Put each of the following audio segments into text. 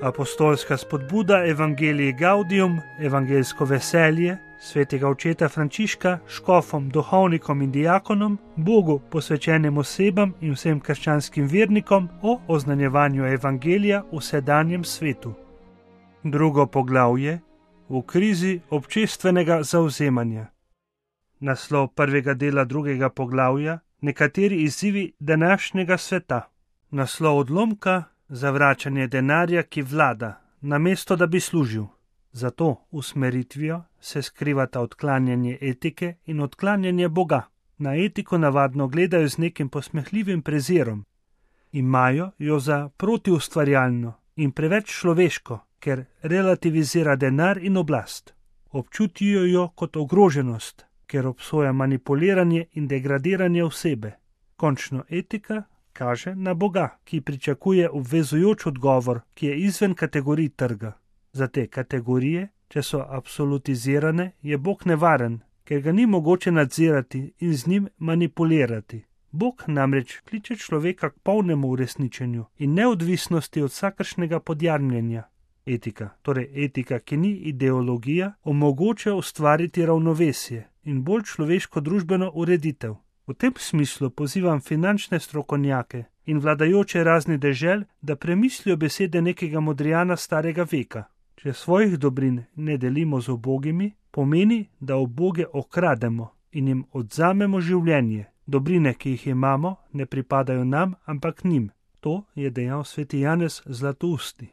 Apostolska spodbuda Evangelii Gaudium, evangeljsko veselje, svetega očeta Frančiška, škofom, duhovnikom in diakonom, Bogu posvečenim osebam in vsem krščanskim vernikom o oznanjevanju evangelija v sedanjem svetu. Drugo poglavje: v krizi občestvenega zavzemanja. Naslov prvega dela drugega poglavja: nekateri izzivi današnjega sveta. Naslov odlomka: zavračanje denarja, ki vlada, namesto da bi služil. Za to usmeritvijo se skrivata odklanjanje etike in odklanjanje Boga. Na etiko navadno gledajo z nekim posmehljivim prezirom. Imajo jo za protiustvarjalno in preveč človeško, ker relativizira denar in oblast. Občutijo jo kot ogroženost, ker obsoja manipuliranje in degradiranje osebe. Končno etika kaže na Boga, ki pričakuje obvezujoč odgovor, ki je izven kategorij trga. Za te kategorije, če so absolutizirane, je Bog nevaren, ker ga ni mogoče nadzirati in z njim manipulirati. Bog namreč kliče človeka k polnemu uresničenju in neodvisnosti od vsakršnega podjarmljenja. Etika, torej etika, ki ni ideologija, omogoča ustvariti ravnovesje in bolj človeško družbeno ureditev. V tem smislu pozivam finančne strokovnjake in vladajoče raznih dežel, da premislijo besede nekega modrijana starega veka. Če svojih dobrin ne delimo z ubogimi, pomeni, da uboge okrademo in jim odzamemo življenje. Dobrine, ki jih imamo, ne pripadajo nam, ampak njim. To je dejal sveti Janez Zlatousti.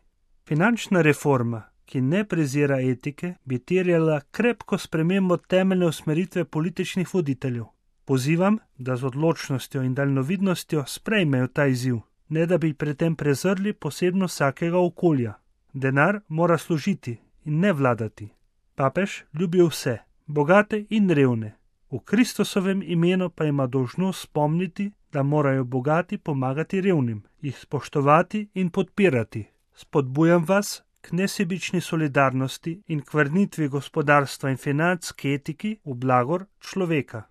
Finančna reforma, ki ne prezira etike, bi terjala krepko spremembo temeljne usmeritve političnih voditeljev. Pozivam, da z odločnostjo in daljnovidnostjo sprejmejo ta izziv, ne da bi pri tem prezrli posebnost vsakega okolja. Denar mora služiti in ne vladati. Papež ljubi vse, bogate in revne. V Kristusovem imenu pa ima dolžnost spomniti, da morajo bogati pomagati revnim, jih spoštovati in podpirati. Spodbujam vas k nesebični solidarnosti in k vrnitvi gospodarstva in financ k etiki v blagor človeka.